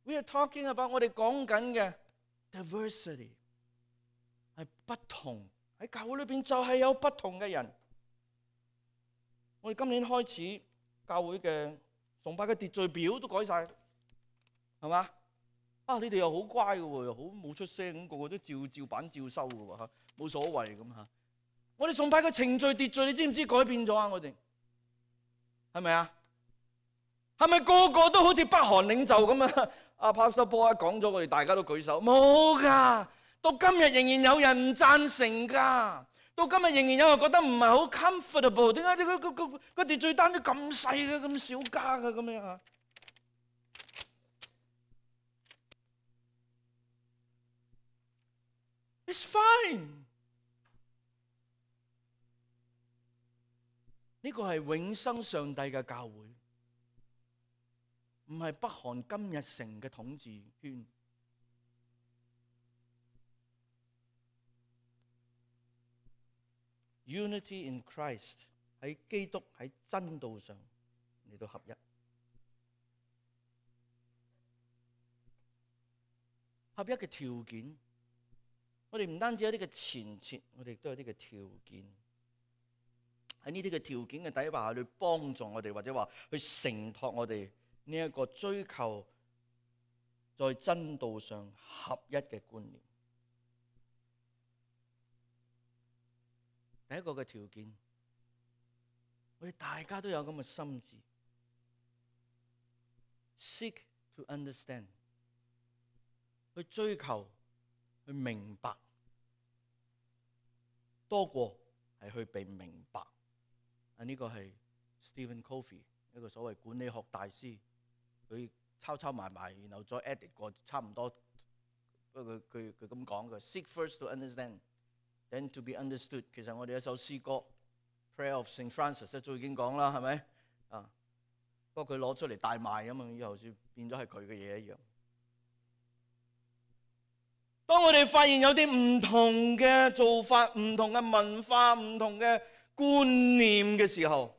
，We are talking about 我哋講緊嘅 diversity 係不同，喺教會裏邊就係有不同嘅人。我哋今年開始教會嘅崇拜嘅秩序表都改晒，係嘛？你哋又好乖嘅喎，又好冇出聲咁，個個都照版照收嘅喎，冇所謂咁嚇。我哋崇拜嘅程序秩序，你知唔知改變咗啊？我哋係咪啊？係咪個個都好似北韓領袖咁啊？阿 Pastor Paul 講咗，我哋大家都舉手，冇㗎。到今日仍然有人唔贊成㗎。到今日仍然有人覺得唔係好 comfortable。點解個秩序單都咁細嘅，咁少加嘅咁樣啊？It's fine。呢個係永生上帝嘅教會，唔係北韓金日成嘅統治圈。Unity in Christ 喺基督喺真道上嚟到合一。合一嘅條件，我哋唔單止有啲嘅前設，我哋亦都有啲嘅條件。喺呢啲嘅條件嘅底下，去幫助我哋，或者話去承托我哋呢一個追求在真道上合一嘅觀念。第一個嘅條件，我哋大家都有咁嘅心志 ，seek to understand， 去追求去明白，多過係去被明白。呢個係 Stephen Covey 一個所謂管理學大師，佢抄埋，然後再 edit 過，差唔多。不過佢咁講嘅 ，seek first to understand, then to be understood。其實我哋一首詩歌 Prayer of St. Francis 早已經講啦，係咪啊？不過佢攞出嚟大賣啊嘛，以後算變咗係佢嘅嘢一樣。當我哋發現有啲唔同嘅做法、唔同嘅文化、唔同嘅觀念嘅時候，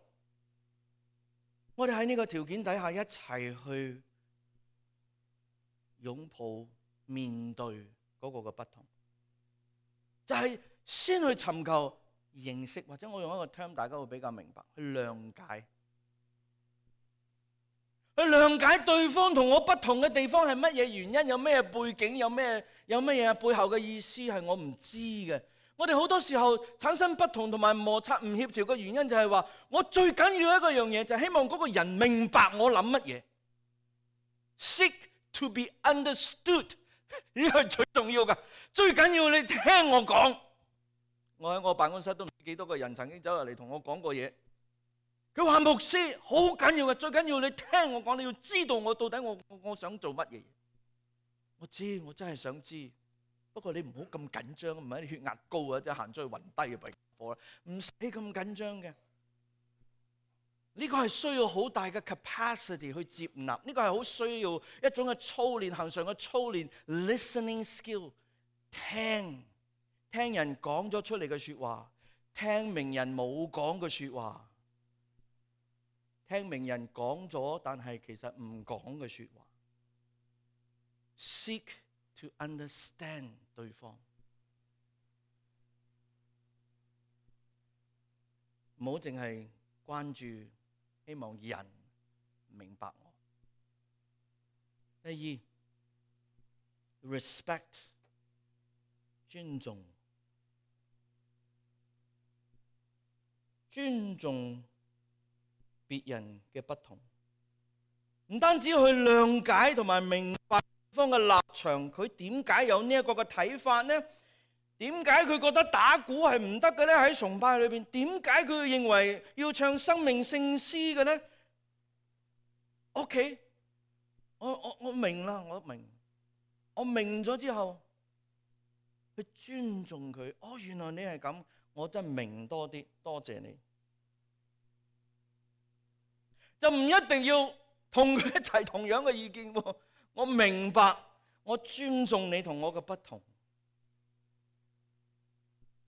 我哋喺呢個條件底下一齊去擁抱面對嗰個嘅不同，就係先去尋求認識，或者我用一個 term 大家會比較明白，去諒解，去諒解對方同我不同嘅地方係乜嘢原因，有咩背景，有咩嘢背後嘅意思係我唔知嘅。我哋好多時候產生不同同埋摩擦唔協調嘅原因就係話，我最緊要一個樣嘢就係希望嗰個人明白我諗乜嘢。Seek to be understood， 呢個係最重要㗎。最緊要你聽我講。我喺我辦公室都唔知幾多個人曾經走入嚟同我講過嘢。佢話牧師好緊要嘅，最緊要你聽我講，你要知道我到底我想做乜嘢。我知，我真係想知。不過你唔好咁緊張，唔係你血壓高啊，即係行出去暈低嘅病貨啦，唔使咁緊張嘅。呢個係需要好大嘅 capacity 去接納，呢個係好需要一種嘅操練，恆常嘅操練 ，listening skill， 聽人講咗出嚟嘅説話，聽明人冇講嘅説話，聽明人講咗但係其實唔講嘅説話 ，seek to understand 對方，唔好淨係關注希望人明白我。第二 ，respect 尊重別人嘅不同，唔單止去諒解同埋明白對方嘅立場，佢點解有呢一個嘅睇法呢？點解佢覺得打鼓係唔得嘅呢？喺崇拜裏邊，點解佢認為要唱生命聖詩嘅呢？OK， 我明啦，我明咗之後，去尊重佢。哦，原來你係咁，我真係明多啲，多謝你。就唔一定要同佢一齊同樣嘅意見喎。我明白，我尊重你同我嘅不同。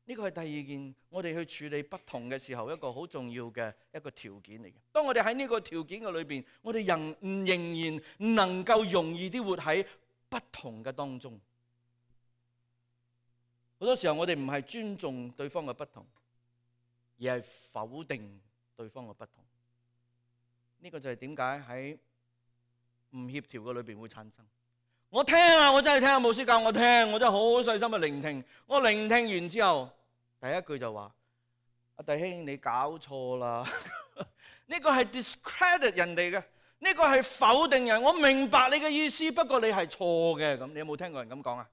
呢個係第二件，我哋去處理不同嘅時候一個好重要嘅一個條件嚟嘅。當我哋喺呢個條件嘅裏邊，我哋仍然能夠容易啲活喺不同嘅當中。好多時候我哋唔係尊重對方嘅不同，而係否定對方嘅不同。呢個就係點解喺唔協調嘅裏邊會產生。我聽啊，我真係聽啊，牧師教我聽，我真係好細心嘅聆聽。我聆聽完之後，第一句就話：阿弟兄，你搞錯啦！呢個係 discredit 人哋嘅，呢個係否定人。我明白你嘅意思，不過你係錯嘅。咁你有冇聽過人咁講啊？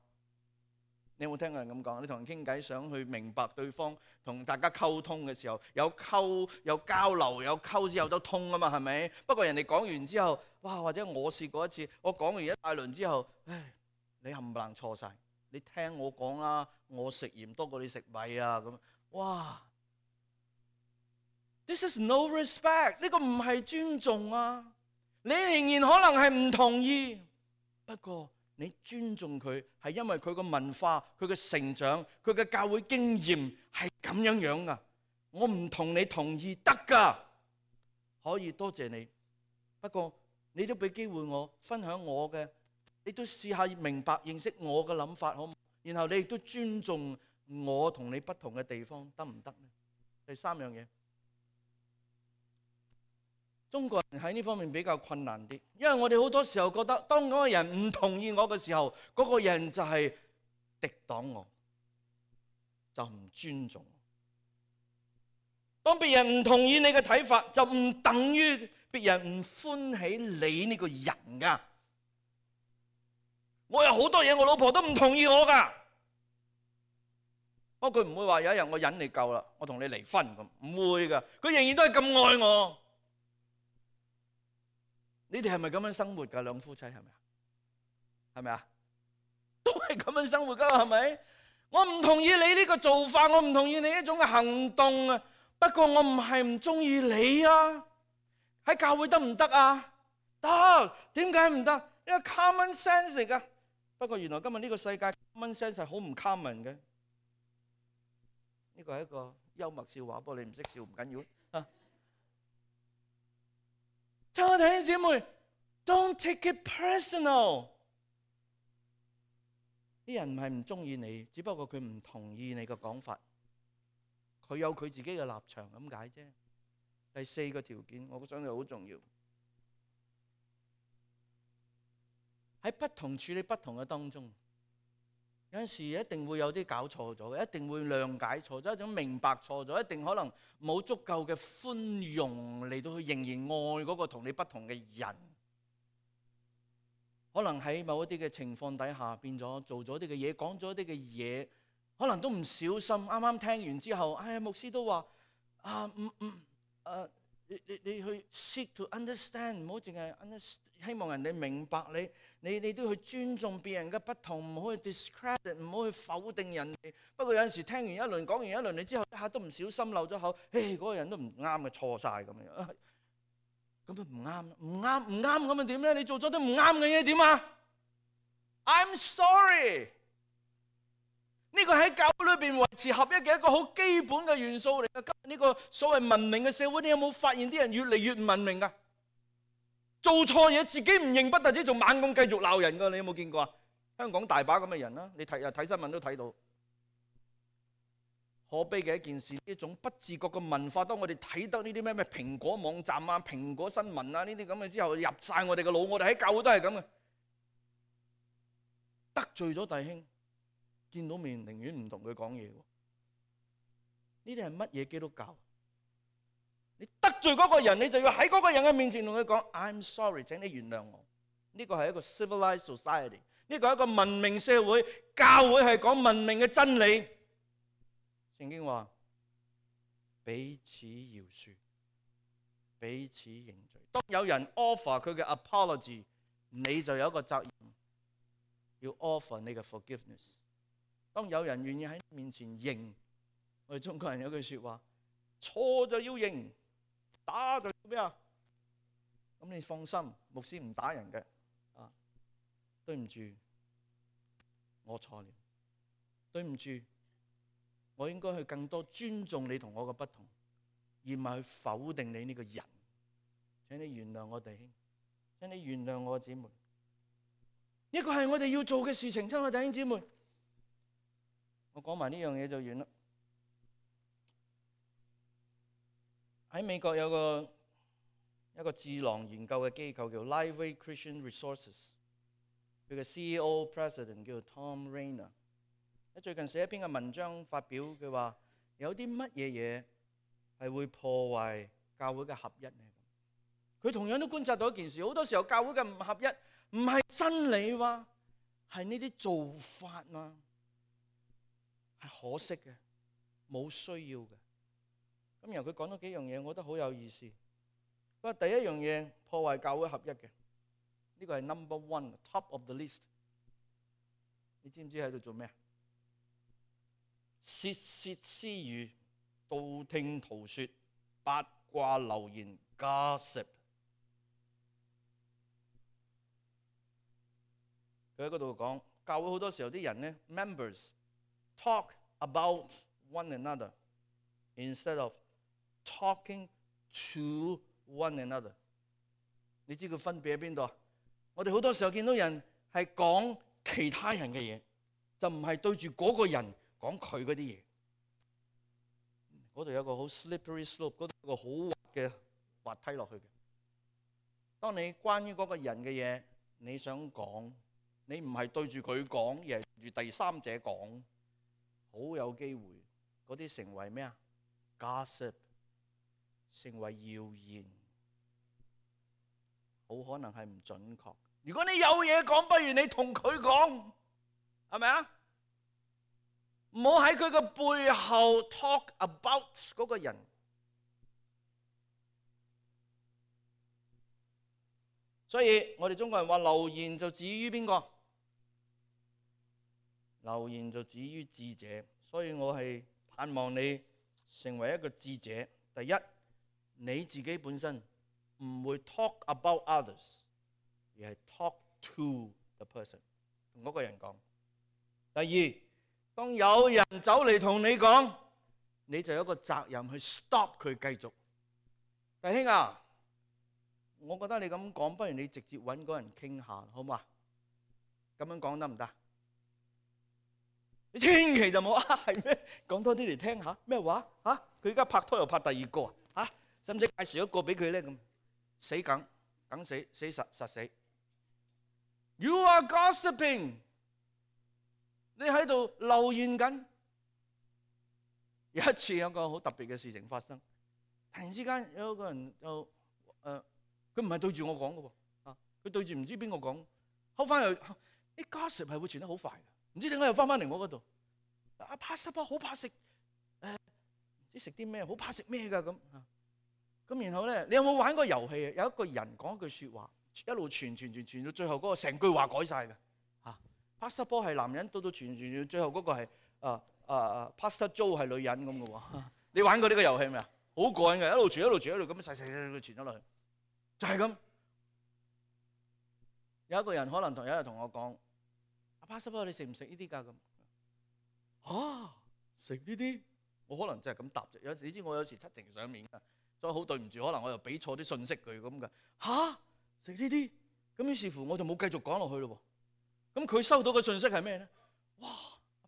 你有冇聽過人咁講？你同人傾偈，想去明白對方，同大家溝通嘅時候，有溝有交流，有溝之後都通啊嘛，係咪？不過人哋講完之後，哇！或者我試過一次，我講完一大輪之後，唉，你冚唪唥錯晒。你聽我講啦，我食鹽多過你食米啊咁。哇 ！This is no respect， 呢個唔係尊重啊！你仍然可能係唔同意，不過你尊重佢係因為佢個文化、佢嘅成長、佢嘅教會經驗係咁樣樣噶。我唔同你同意得噶，可以多謝你。不過你都俾機會我分享我嘅，你都試下明白認識我嘅諗法好唔好？然後你亦都尊重我同你不同嘅地方，得唔得呢？第三樣嘢，中國人喺呢方面比較困難啲，因為我哋好多時候覺得，當嗰個人唔同意我嘅時候，嗰個人就係敵擋我，就唔尊重我。當別人唔同意你嘅睇法，就唔等於別人唔歡喜你呢個人噶。我有好多嘢，我老婆都唔同意我噶。不過佢唔會話有一日我忍你夠啦，我同你離婚咁，唔會噶。佢仍然都係咁愛我。你哋係咪咁樣生活噶？兩夫妻係咪啊？係咪啊？都係咁樣生活噶，係咪？我唔同意你呢個做法，我唔同意你呢種嘅行動啊。不過我唔係唔中意你啊。喺教會得唔得啊？得。點解唔得？因為 common sense 嚟噶。不過原來今日呢個世界 common sense 係好唔 common 嘅。呢個係一個幽默笑話，不過你唔識笑唔緊要啊。親愛的弟兄姊妹 ，Don't take it personal。啲人唔係唔中意你，只不過佢唔同意你嘅講法，佢有佢自己嘅立場咁解啫。第四個條件，我想係好重要。喺不同處理不同嘅當中，有陣時一定會有啲搞錯咗嘅，一定會諒解錯咗，一種明白錯咗，一定可能冇足夠嘅寬容嚟到去仍然愛嗰個同你不同嘅人。可能喺某一啲嘅情況底下變咗做咗啲嘅嘢，講咗啲嘅嘢，可能都唔小心。啱啱聽完之後，牧師都話你去 seek to understand， 唔好淨係希望人哋明白你都去尊重別人嘅不同，唔好去 discredit， 唔好去否定人哋。不過有陣時聽完一輪講完一輪你之後，一下都唔小心漏咗口，嗰個人都唔啱嘅，錯晒咁樣。咁啊唔啱咁啊點咧？你做咗啲唔啱嘅嘢點啊 ？I'm sorry。呢個喺教會裏邊維持合一嘅一個好基本嘅元素嚟嘅。今日呢個所謂文明嘅社會，你有冇發現啲人越嚟越唔文明㗎？做錯嘢自己唔認，不但止仲猛咁繼續鬧人㗎。你有冇見過啊？香港大把咁嘅人啦，你睇新聞都睇到。可悲嘅一件事，呢種不自覺嘅文化，當我哋睇得呢啲咩蘋果網站啊、蘋果新聞啊呢啲咁嘅之後，入晒我哋嘅腦。我哋喺教會都係咁嘅，得罪咗弟兄，見到面寧願唔同佢講嘢。呢啲係乜嘢基督教？你得罪嗰個人，你就要喺嗰個人嘅面前同佢講 I'm sorry， 請你原諒我。呢個係一個 civilized society， 呢個係一個文明社會。教會係講文明嘅真理。聖經話彼此饒恕，彼此認罪。當有人 offer 佢嘅 apology， 你就有一個責任要 offer 你嘅 forgiveness。當有人願意喺面前認，我哋中國人有句說話，錯就要認，打就要咩啊？咁你放心，牧師唔打人嘅。對唔住，我錯了，對唔住，我應該去更多尊重你同我嘅不同，而唔係去否定你呢個人。請你原諒我弟兄，請你原諒我姊妹。呢個係我哋要做嘅事情，親愛弟兄姊妹。我講埋呢樣嘢就完啦。喺美國有一個智囊研究嘅機構叫 Liveway Christian Resources， 佢嘅 CEO President 叫 Tom Rainer。最近寫一篇嘅文章發表，佢話有啲乜嘢嘢係會破壞教會嘅合一呢？佢同樣都觀察到一件事，好多時候教會嘅唔合一唔係真理喎，係呢啲做法嘛，係可惜嘅，冇需要嘅。咁然後佢講咗幾樣嘢，我覺得好有意思。佢話第一樣嘢破壞教會合一嘅，呢個係 number one top of the list。你知唔知喺度做咩？竊竊私語、道聽途說、八卦流言 gossip。佢喺嗰度講，教會好多時候啲人呢 members talk about one another instead of talking to one another。你知佢分別喺邊度啊？我哋好多時候見到人係講其他人嘅嘢，就唔係對住嗰個人講佢嗰啲嘢。嗰度有個好 slippery slope， 嗰度有個好滑嘅滑梯落去嘅。當你關於嗰個人嘅嘢，你想講，你唔係對住佢講，而係對住第三者講，好有機會嗰啲成為咩啊 ？gossip， 成為謠言，好可能係唔準確。如果你有嘢講，不如你同佢講，係咪啊？唔好喺佢個背後 talk about 嗰個人。所以我哋中國人話流言就止於邊個？流言就止於智者。所以我係盼望你成為一個智者。第一，你自己本身唔會 talk about others， 而係 talk to the person， 同嗰個人講。第二，當有人走嚟同你講，你就有一個責任去 stop 佢繼續。弟兄啊，我覺得你咁講，不如你直接揾嗰人傾下，好嘛？咁樣講得唔得？你千祈就冇係咩？講多啲嚟聽下咩話？佢而家拍拖又拍第二個使唔使介紹一個俾佢咧？咁死梗實死。You are gossiping。你喺度留言緊。有一次有個好特別嘅事情發生，突然之間有一個人就佢唔係對住我講嘅喎，佢對住唔知邊個講，後翻又啲 gossip 係會傳得好快嘅，唔知點解又翻嚟我嗰度。Pastor Paul 好怕食唔知食啲咩，好怕食咩㗎咁然後咧，你有冇玩過遊戲啊？有一個人講一句説話，一路傳到最後嗰個成句話改晒嘅。Pastor Paul 係男人，到傳到最後嗰個係Pastor Joe 係女人咁嘅喎。你玩過呢個遊戲未啊？好過癮嘅，一路傳咁細傳咗落去，就係咁。有一個人可能有一日同我講：Pastor Paul 你食唔食呢啲㗎咁？食呢啲？我可能真係咁答啫。有時你知我有時七情上面㗎，所以好對唔住，可能我又俾錯啲信息佢咁㗎。食呢啲？咁於是乎我就冇繼續講落去咯喎。咁佢收到嘅信息係咩咧？哇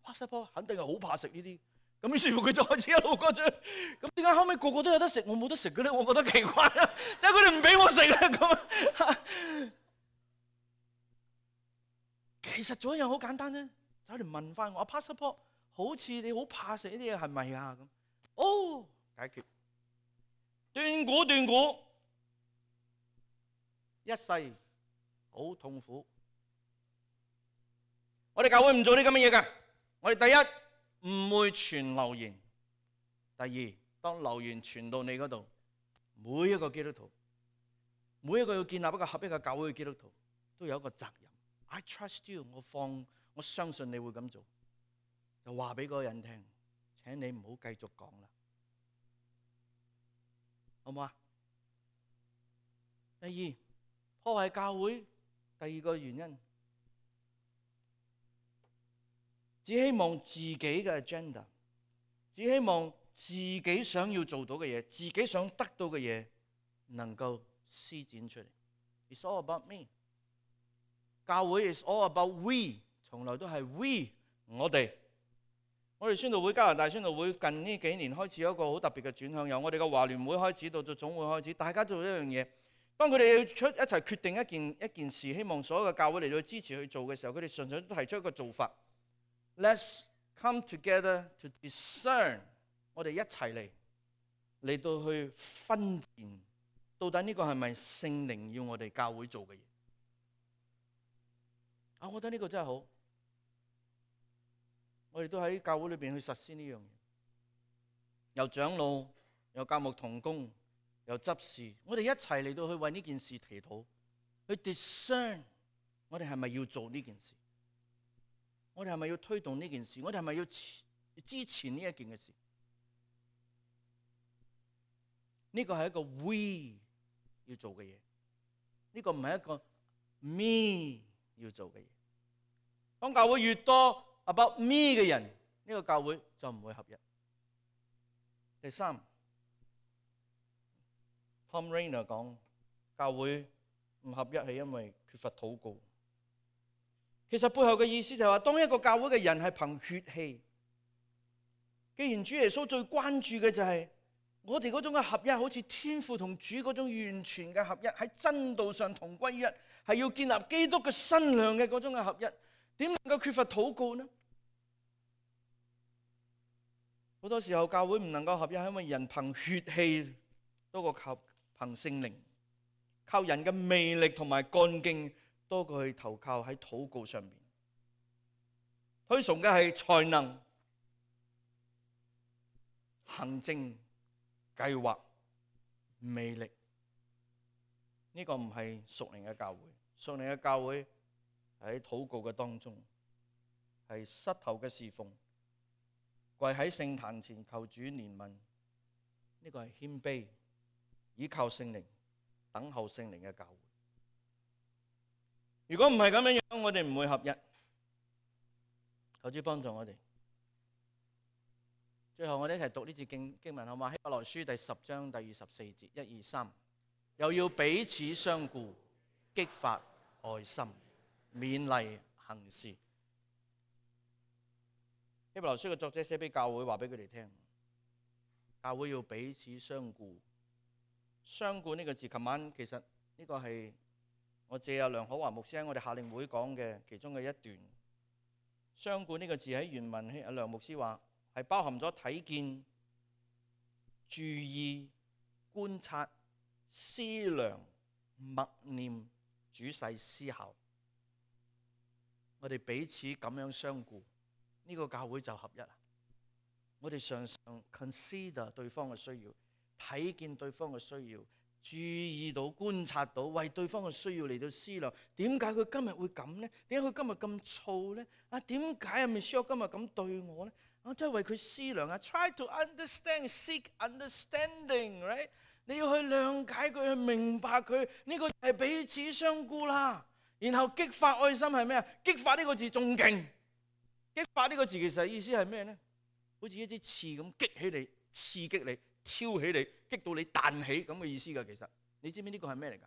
！Pastor Paul肯定係好怕食呢啲。咁於是乎佢就開始一路講住。咁點解後尾個個都有得食，我冇得食嘅咧？我覺得奇怪啦。點解佢哋唔俾我食咧？咁其實做一樣好簡單啫，走嚟問翻我：Pastor Paul，好似你好怕食呢啲嘢係咪啊？咁解決。斷估，一世好痛苦。我哋教會唔做啲咁嘅嘢㗎。我哋第一唔會傳流言，第二當流言傳到你嗰度，每一個基督徒，每一個要建立一個合一嘅教會嘅基督徒，都有一個責任。I trust you， 我相信你會咁做，就話俾嗰個人聽，請你唔好繼續講啦，好唔好啊？第二，破壞教會，第二個原因，只希望自己嘅 agenda， 只希望自己想要做到嘅嘢，自己想得到嘅嘢，能夠施展出嚟。It's all about me。教會 is all about we， 從來都係 we， 我哋宣道會加拿大宣道會近呢幾年開始有一個好特別嘅轉向，由我哋嘅華聯會開始到總會開始，大家做一樣嘢。當佢哋一齊決定一件事，希望所有嘅教會嚟到支持去做嘅時候，佢哋純粹都提出一個做法 ：Let's come together to discern。我哋一齊嚟到去分辨，到底呢個係咪聖靈要我哋教會做嘅嘢？我覺得呢個真係好，我哋都喺教會裏邊去實施呢樣嘢。由長老，由教牧同工，由執事，我哋一齊嚟到去為呢件事祈禱，去 discern 我哋係咪要做呢件事？我哋係咪要推動呢件事？我哋係咪要支持呢一件嘅事？呢個係一個 we 要做嘅嘢，呢個唔係一個 me 要做嘅嘢。當教會越多 about me 嘅人，呢個教會就唔會合一。第三 ，Tom Rainer 講教會唔合一係因為缺乏禱告。其實背後嘅意思就係話，當一個教會嘅人係憑血氣，既然主耶穌最關注嘅就係我哋嗰種嘅合一，好似天父同主嗰種完全嘅合一，喺真道上同歸於一，係要建立基督嘅身量嘅嗰種嘅合一。點能夠缺乏禱告呢？好多時候教會唔能夠合一，係因為人憑血氣多過靠憑聖靈，靠人嘅魅力同埋幹勁多過去投靠喺禱告上面。推崇嘅係才能、行政、計劃、魅力，呢個唔係屬靈嘅教會。屬靈嘅教會喺禱告嘅當中，係膝頭嘅侍奉，跪喺聖壇前求主憐憫，呢個係謙卑，倚靠聖靈，等候聖靈嘅教會。如果唔係咁樣樣，我哋唔會合一。求主幫助我哋。最後我哋一齊讀呢節經文好嗎？希伯來書第10章第24節，1、2、3，又要彼此相顧，激發愛心，勉勵行事。希伯來書嘅作者寫俾教會，話俾佢哋聽，教會要彼此相顧。相顧呢個字，琴晚其實呢個係我借阿梁可華牧師喺我哋夏令會講嘅其中嘅一段。相顧呢個字喺原文，阿梁牧師話係包含咗睇見、注意、觀察、思量、默念、仔細思考。我哋彼此咁樣相顧，呢個教會就合一啦。我哋常常 consider 對方嘅需要，睇見對方嘅需要，注意到、觀察到，為對方嘅需要嚟到思量。點解佢今日會咁呢？點解佢今日咁燥呢？點解阿 Michelle 今日咁對我呢？真係為佢思量啊 ！Try to understand, seek understanding, right？ 你要去諒解佢，去明白佢，呢個係彼此相顧啦。然後激發愛心係咩啊？激發呢個字仲勁。激發呢個字其實意思係咩呢？好似一支刺咁激起你，刺激你，挑起你，激到你彈起咁嘅意思㗎。其實你知唔知呢個係咩嚟㗎？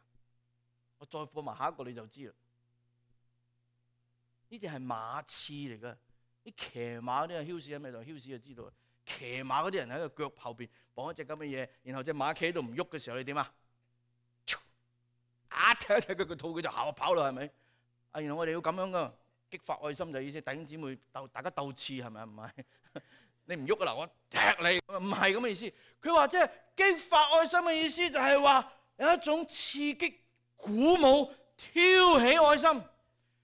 我再播埋下一個你就知啦。呢隻係馬刺嚟㗎。啲騎馬嗰啲啊，囂士喺咪度？囂士就知道啦。騎馬嗰啲人喺個腳後邊綁一隻咁嘅嘢，然後隻馬企喺度唔喐嘅時候，你點啊？踢一踢佢個肚，佢就跑啦，係咪？然後我哋要咁樣噶，激發愛心就意思弟兄姊妹大家鬥刺係咪？唔係，你唔喐啊嗱，我踢你，唔係咁嘅意思。佢話即係激發愛心嘅意思就係話有一種刺激、鼓舞、挑起愛心。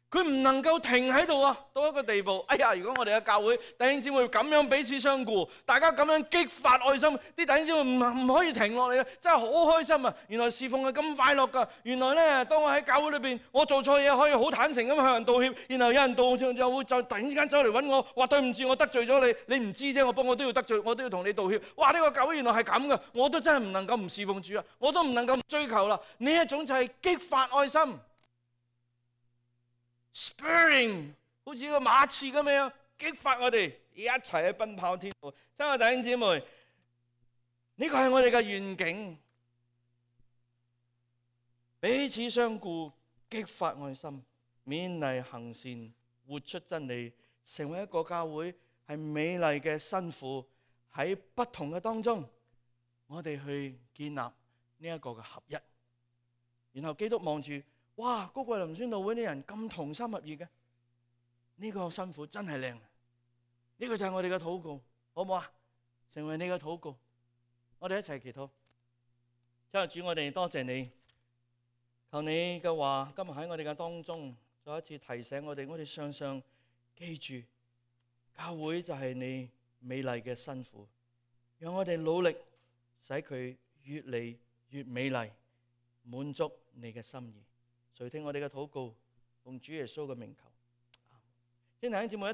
佢唔能夠停喺度啊！到一個地步，哎呀！如果我哋嘅教會弟兄姊妹咁樣彼此相顧，大家咁樣激發愛心，啲弟兄姊妹唔可以停落嚟啊！真係好開心啊！原來侍奉係咁快樂㗎。原來咧，當我喺教會裏邊，我做錯嘢可以好坦誠咁向人道歉，然後有人道歉就會就突然之間走嚟揾我，話對唔住，我得罪咗你，你唔知啫，我都要得罪，我都要同你道歉。哇！呢個教會原來係咁㗎，我都真係唔能夠唔侍奉主啊！我都唔能夠唔追求啦。呢一種就係激發愛心。Spurring 好似個馬刺咁樣激發我哋一齊去奔跑天路。親愛弟兄姊妹，呢個係我哋嘅願景，彼此相顧，激發愛心，勉勵行善，活出真理，成為一個教會係美麗嘅新婦。喺不同嘅當中，我哋去建立呢一個嘅合一。然後基督望住。哇！高貴林宣道會啲人咁同心合意嘅，呢個新婦真係靚。呢個就係我哋嘅禱告，好唔好啊？成為你嘅禱告，我哋一齊祈禱。親愛的主，我哋多謝你，求你嘅話今日喺我哋嘅當中，再一次提醒我哋常常記住，教會就係你美麗嘅新婦，讓我哋努力使佢越嚟越美麗，滿足你嘅心意。垂聽我哋嘅禱告，奉主耶穌嘅名求。先弟兄姊妹一同。